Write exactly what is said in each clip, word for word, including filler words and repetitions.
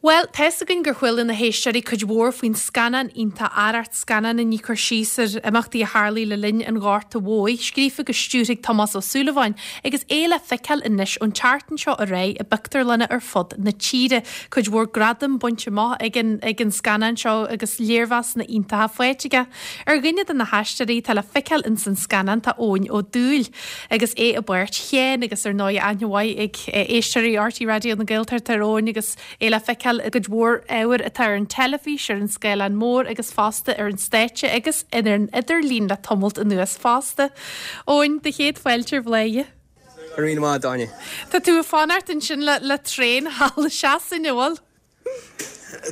Well, tá's againn gur chuala na héisteoirí cuid mhór faoin scannán iontach Arracht scannán a ní cur síos ar imeachtaí a tharla le linn an Ghorta Mhóir, scríofa agus stiúrtha ag Tomás Ó Súilleabháin, agus é le feiceáil anois ón tseachtain seo ar aghaidh i bpictiúrlanna ar fud na tíre. Cuid mhór gradam bainte amach ag an ag an scannán seo agus léirmheasanna iontacha faighte aige. Ar dhuine de na haisteoirí tá le feiceáil in san scannán tá Eoin Ó Dúill, agus é i bpáirt Sheáin agus ar ndóigh aithne mhaith ag éisteoirí R T Raidió na Gaeltachta ar Eoin agus é le feiceáil i gcuid mhór ábhar atá ar an teilifís ar an scáileán mór agus fosta ar an stáitse agus ar an idirlíon le tamalt anuas fosta. Eoin do chéad fáilte ar Bhladhaire. Ar má dáine. Tá tú ag fanacht ansin le le traein thall i Sasana bhfuil?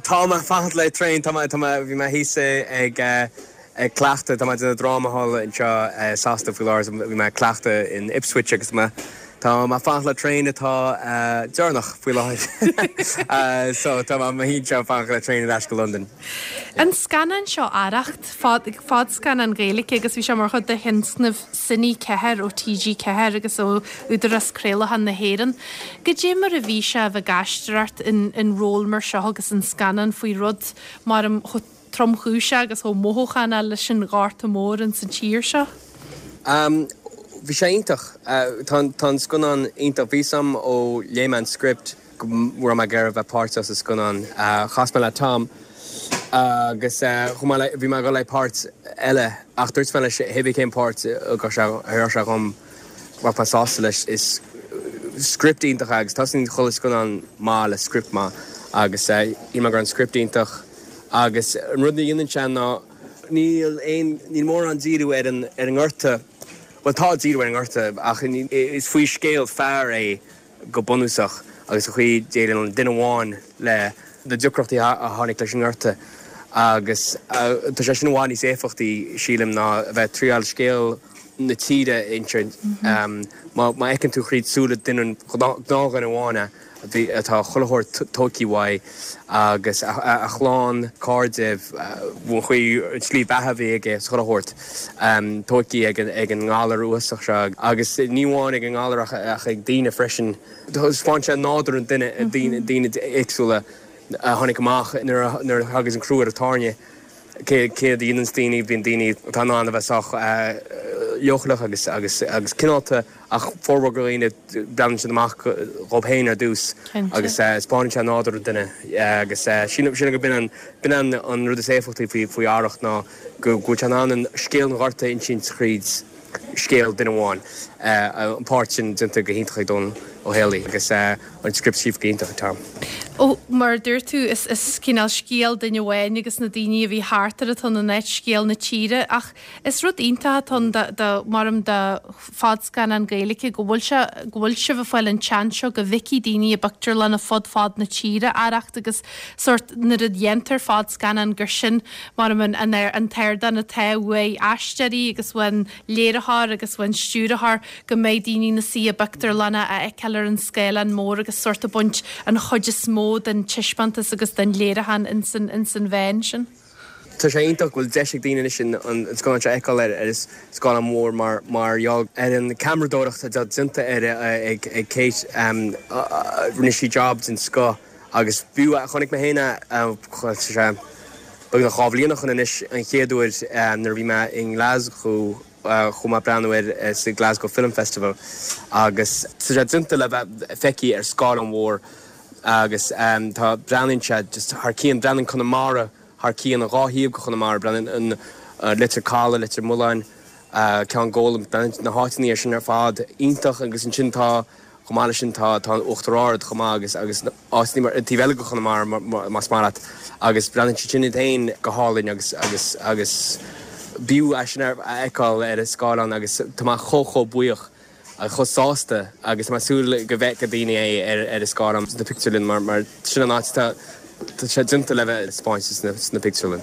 Tá mé fanacht le traein tá bhí mé thíos ag ag cleachtadh tá mé déanamh dráma thall anseo Sasana faoi láthair bhí mé cleachtadh in Ipswich agus mé Tá mé fanacht le traein atá deireanach faoi láthair so tá mé anseo fanacht le traein ar ais go London. An scannán seo Arracht fadscannán Gaeilge agus bhí sé mar chuid de thionscnamh Cine Ceathair ó T G Ceathair agus ó Údarás Craolacháin na hÉireann. Goidé mar a bhí sé bheith ag aisteoireacht in, in ról mar seo agus an scannán faoi rud mar am tromchúiseach agus chomh mothúchánach leis an Ghorta Mór in san tír seo. Um, Bhí sé iontach tá an scannán iontach bhí sam ó léigh mé an script go raibh mé ag iarraidh bheith páirteach sa scannán chas mé le Tom agus bhí mé go le páirt eile ach dúirt mé leis hé cén páirt go sé sé chum bheinn sásta leis is script iontach agus tá chuile scannán maith le script maith agus í gur an script iontach agus an rud a dhéanann sé ná níl aon níl mórán díriú ar an ar an ngorta Well tá díriú ar an ngorta ach is faoi scéal fear é go bunúsach agus chuí déann an duine amháin le na deacrachtaí a tháinig leis an ngorta agus tá sé sin i bhfad níos éifeachtaí sílim ná bheith triail scéal na tíre insint má fheiceann tú thríd súile duine gnáthdhuine amháin atá chuile shórt tógtha uaidh agus a chlann cairde chuí slí bheatha bhí aige chuile shórt tógtha ag ag an ngalar uafásach seo agus ní amháin ag an ngalar ach ag daoine freisin. Fán sé nádúr an duine daoine daoine éagsúla a tháinig amach nuair agus an crú ar a tairne cé cé dhéanann daoine bíonn daoine atá an a bheith sách leochaileach agus agus agus cineálta ach formhór go dhaoine breathnaíonn siad amach dóibh féin ar dtús agus spáineann sé nádúr duine agus sin sin go b'in b'in an an rud is éifeachtaí faoi faoi Arracht ná go bhfuil sé an scéal an Ghorta insint thríd scéal duine amháin an páirt sin déanta go hiontach ag Dónal Ó Héalaí agus an script scríofa go hiontach Tom. Ó mar dúirt tú is is cineál scéal duine amháin agus na daoine a bhí thart ar atá an net scéal na tíre ach is rud iontach atá de maram de fadscannán Gaeilge go bhfuil sé go bhfuil sibh ag fáil an seans seo go bhfeicfidh daoine i bpictiúrlanna fud fad na tíre Arracht agus sort nuair a dhéantar fadscannán gur sin mar an an an t-ardán atá uaidh aisteoirí agus uain léiritheoir agus uain stiúrthóir go mbeidh daoine na suí i bpictiúrlanna a fheiceáil ar an scáileán mór agus sort a baint an chuid is mó den taispeántas agus den léiriúchán in san in san bhean sin. Tá sé iontach bhfuil deis ag daoine sin an scannán seo a fheiceáil ar ar scáileán mór mar mar gheall ar an ceamaradóireacht atá déanta ar ag ag Kate rinne sí job den scoth agus b'fhiú chonaic mé féin sé beagnach dhá bhliain ó shin anois an chéad uair nuair bhí mé in Glasgow chuaigh mé breathnú air sa Glasgow Film Festival agus tá sé déanta le bheith feicthe ar scáileán mór agus tá breathnaíonn sé just thar cionn breathnaíonn Conamara thar cionn an dhá thaobh go Chonamara breathnaíonn an Leitir Caladh Leitir Mealláin Ceann Gólaim na háiteanna sin ar fad iontach agus ansin tá chomh maith leis sin tá tá an Uachtar Ard chomh maith agus agus áiteanna mar taobh eile go Chonamara más maith leat agus breathnaíonn siad sin iad féin go hálainn agus agus agus b'fhiú é sin a fheiceáil ar an scáileán agus tá mé chomh chomh buíoch chomh sásta agus tá mé ag súil go bhfeicfidh daoine é ar ar an scáileán na pictiúrlann mar mar sin an áit tá Tá sé déanta le bheith spáinte sna sna pictiúrlann.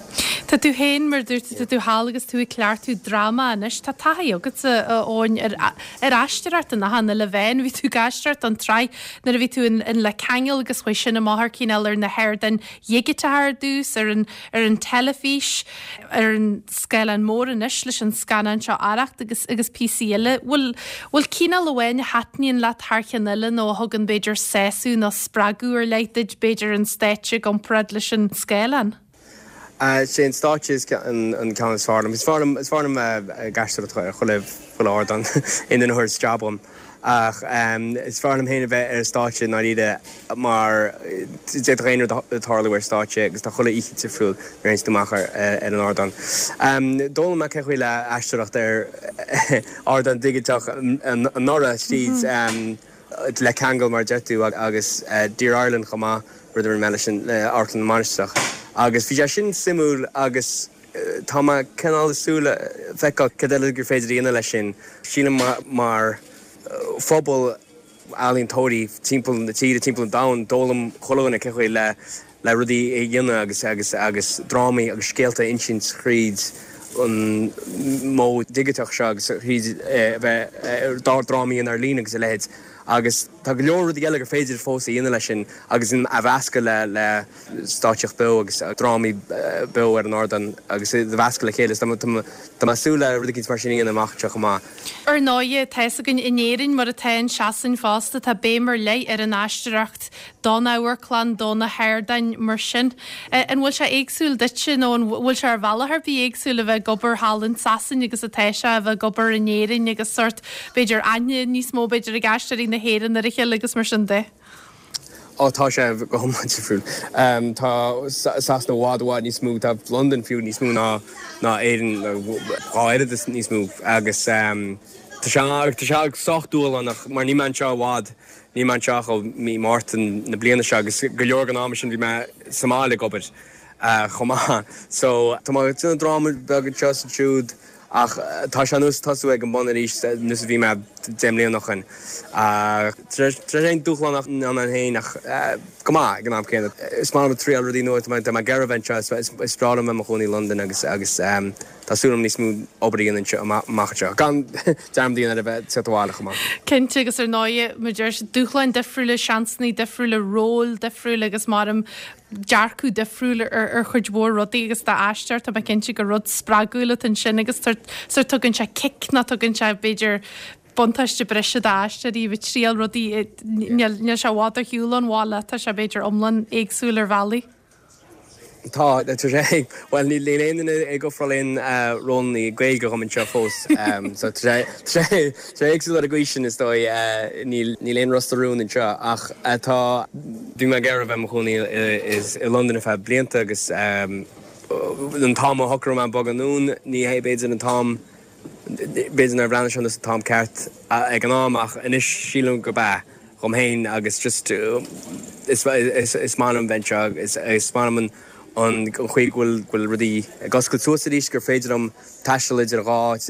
Tá tú féin mar dúirt tú tú thall agus tú ag cleachtadh dráma anois, tá taithí agatsa a Eoin ar ar aisteoireacht in achan uile mheán, bhí tú ag aisteoireacht don tsraith nuair a bhí tú in in Le Ceangal agus chuaigh sin amach ar cineál ar na hardáin dhigiteacha ar dtús, ar an ar an teilifís, ar an scáileán mór anois leis an scannán seo Arracht agus agus píosaí eile. Bhfuil bhfuil cineál amháin a thaitníonn leat thar cheann eile nó a thugann b'fhéidir sásamh nó spreagadh ar leith duit b'fhéidir an stáitse i gcomparáid leis an scáileán? Sé an stáitse is an an ceann is fearr liom. Is fearr liom is fearr liom ag aisteoireacht ar chuile chuile ardán aon duine a chuir jab orm. Ach is fearr liom féin a bheith ar an stáitse i ndáiríre mar d'fhéadfadh aon rud tarlú ar stáitse agus tá chuile oíche difriúil nuair a théann tú amach ar ar an ardán. D'fhoghlaim mé cén chaoi le aisteoireacht ar ardán digiteach anuraidh tríd Le Ceangal mar a deir tú agus Dear Ireland chomh maith, rud a rinne mé leis an le Amharclann na Mainistreach. Agus bhí sé sin suimiúil agus tá mé cineál ag súil le feiceáil cad eile gur féidir a dhéanamh leis sin. Sílim mar phobal ealaíontóirí timpeall na tíre, timpeall an domhain, d'fhoghlaim chuile dhuine cén chaoi le le rudaí a dhéanamh agus agus agus drámaí agus scéalta a insint thríd an modh digiteach seo agus thríd a bheith drámaí a dhéanamh ar líne agus a leithéid. Agus tá go leor rudaí eile gur féidir fós a dhéanamh leis sin agus a mheascadh le le stáitsíocht beo agus drámaí beo ar an ardán agus a mheascadh le chéile. Tá mé ag súil le rud éicint mar sin a dhéanamh amach anseo chomh maith. Ar ndóigh, tá fhios againn in Éirinn, mar atá in Sasain fosta, tá béim ar leith ar an aisteoireacht don amharclann, do na hardáin mar sin. An bhfuil sé éagsúil duitse nó an bhfuil sé ar bhealach ar bith éagsúil a bheith ag obair thall in Sasain agus atá sé a bheith ag obair in Éirinn agus sórt, b'fhéidir, aithne níos mó b'fhéidir ag aisteoirí na hÉireann ar a chéile agus mar sin de? Ó tá sé go hiomlán difriúil. Tá Sasana i bhfad i bhfad níos mó, tá Londain fiú níos mó ná ná Éirinn, dhá oiread is níos mó agus tá sé tá sé sách dúshlánach mar níl mé anseo i bhfad, níl mé anseo ach ó mí Márta na bliana seo agus go leor den am sin bhí mé sa mbaile ag obair chomh maith. So tá mé ag déanamh dráma beag anseo is ansiúd ach tá sé ar nós tosú ag an bun arís nós a bhí mé deich mbliana ó shin. Tá sé dúshlánach ann féin ach go maith ag an am céanna. Is maith liom triail rudaí nua, tá mé ag iarraidh a bheith anseo, is breá liom bheith i mo chónaí i Londain agus agus tá súil agam níos mó obair a dhéanamh anseo amach anseo. Gan dearmad a dhéanamh ar a bheith ag teacht abhaile chomh maith. Cinnte agus ar ndóigh, mar deir siad, dúshláin difriúla, seansanna difriúla, róil difriúla agus maram dearcadh difriúil ar ar chuid mhór rudaí agus d'aisteoir tá mé cinnte gur rud spreagúil atá ansin agus sórt tugann sé cic nó tugann sé b'fhéidir buntáiste breise d'aisteoirí ag triail rudaí níl níl sé i bhfad ar shiúl ón bhaile tá sé b'fhéidir iomlán éagsúil ar bhealaí. Tá, tá sé, bhuel níl aon duine ag ofráil aon rólanna Gaeilge dhom anseo fós so tá sé, tá sé, tá sé éagsúil ar an gcaoi sin is dóigh, níl, níl aon Ros na Rún anseo ach tá, bhí mé ag iarraidh a bheith i mo chónaí i Londain ar feadh blianta agus an t-am a shocraigh mé bogadh anonn ní hé b'fhéidir an t-am, B'fhéidir nár bhreathnaigh sé ar nós an t-am ceart ag an am ach anois sílim gurb ea dhom féin agus just is is maith liom bheith anseo, is is maith liom an an chaoi go bhfuil go bhfuil rudaí ag oscailt suas arís gur féidir liom taisteal idir dhá áit,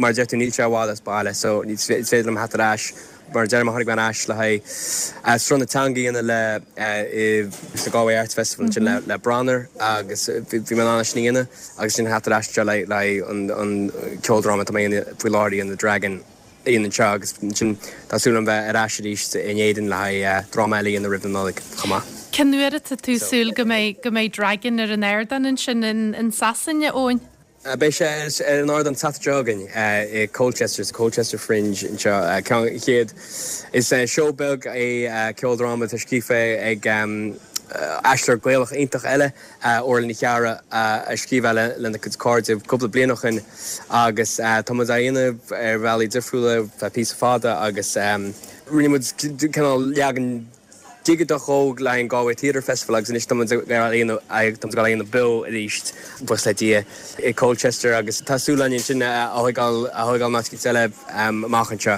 mar a deir tú níl sé i bhfad as baile so is féidir liom theacht ar ais. Mar a deirim, tháinig mé ar ais le haghaidh Sruth na Teanga a dhéanamh le sa Galway Arts Festival ansin le le Branar agus bhí mé in ann é sin a dhéanamh agus ansin theacht ar ais anseo le le haghaidh an an ceoldráma atá mé a dhéanamh faoi láthair a dhéanamh Dragon a dhéanamh anseo agus ansin tá súil agam bheith ar ais arís in Éirinn le haghaidh dráma eile a dhéanamh roimh na Nollaig chomh maith. Cén uair atá tú ag súil go mbeidh go mbeidh Dragon ar an ardán ansin in in Sasana, Eoin? Beidh sé ar an ardán Satharn seo chugainn i Colchester, sa Colchester Fringe anseo. Ceann chéad. Is seó beag é ceoldráma atá scríofa ag aisteoir Gaelach iontach eile, Orla Ní Chearra, a scríobh é lena cuid cairde cúpla bliain ó shin agus tá muid á dhéanamh ar bhealaí difriúla feadh píosa fada agus rinne muid cineál leagan digiteach dhó le haghaidh an Galway Theatre Festival agus anois tá muid ag dul á dhéanamh beo arís, buíochas le Dia, i Colchester agus tá súil againn ansin a thógáil a thógáil in áit eicínt eile amach anseo.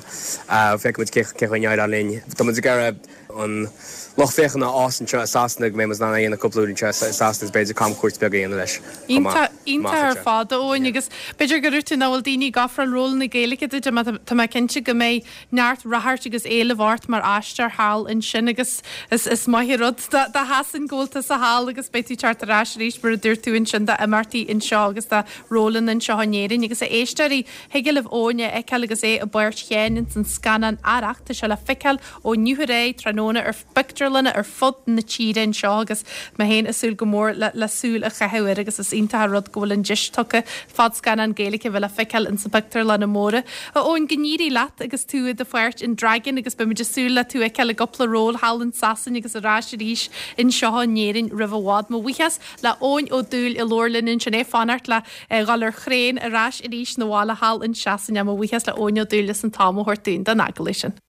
Feicfidh muid cé chaoi a n-éireoidh linn. Tá muid ag iarraidh an lucht féachana a fhás anseo i Sasana go mbeidh muid in ann a dhéanamh cúpla uair anseo i Sasana is b'fhéidir camchuairt beag a dhéanamh leis chomh maith. Iontach ar fad, a Eoin, agus b'fhéidir go raibh tú nach bhfuil daoine ag ofráil rólanna Gaeilge duit mar tá mé cinnte go mbeidh neart ráchairt agus éileamh ort mar aisteoir thall ansin agus is is maith an rud do Shasain go bhfuil tusa thall agus beidh tú ag teacht ar ais arís mar a dúirt tú ansin d'imeachtaí anseo agus do rólanna anseo in Éirinn agus a éisteoirí thig libh Eoin a fheiceáil agus é i bpáirt Sheáin ins an scannán Arracht tá sé le feiceáil ó inniu ar aghaidh tráthnóna ar phictiúrlanna ar fud na tíre anseo agus mé féin ag súil go mór le le súil a chaitheamh air agus is iontach an rud go bhfuil an deis tugtha fadscannán Gaeilge a bheith le feiceáil ins na pictiúrlanna móra. A Eoin, go n-éirí leat agus tú i do pháirt in Dragon agus beimid ag súil le tú a fheiceáil i gcúpla ról thall in Sasain agus ar ais arís anseo in Éirinn roimh i bhfad. Mo bhuíochas le Eoin Ó Dúill a labhair linn ansin é ag fanacht le dhul ar thraein ar ais arís 'na bhaile thall in Sasain. Mo bhuíochas le Eoin Ó Dúill as an t-am a thabhairt dúinn don agallamh sin.